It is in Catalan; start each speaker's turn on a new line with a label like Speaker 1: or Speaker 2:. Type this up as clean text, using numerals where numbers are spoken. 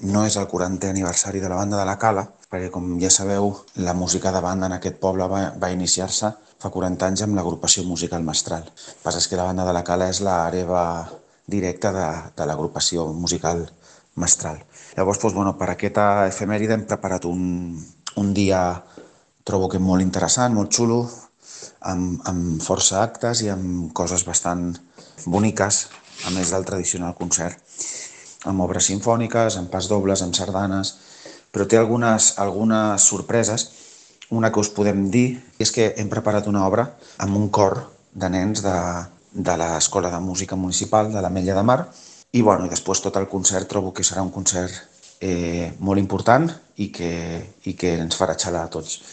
Speaker 1: No és el 40è aniversari de la Banda de la Cala, perquè com ja sabeu, la música de banda en aquest poble va iniciar-se fa 40 anys amb l'agrupació musical Mestral. El que passa és que la Banda de la Cala és l'hereva directa de l'agrupació musical Mestral. Llavors, doncs, bueno, per aquesta efemèride hem preparat un dia, trobo que molt interessant, molt xulo, amb força actes i amb coses bastant boniques, a més del tradicional concert, amb obres simfòniques, amb pas dobles, amb sardanes, però té algunes sorpreses. Una que us podem dir és que hem preparat una obra amb un cor de nens de l'Escola de Música Municipal de l'Ametlla de Mar, i, bueno, i després tot el concert trobo que serà un concert molt important i que ens farà xalar a tots.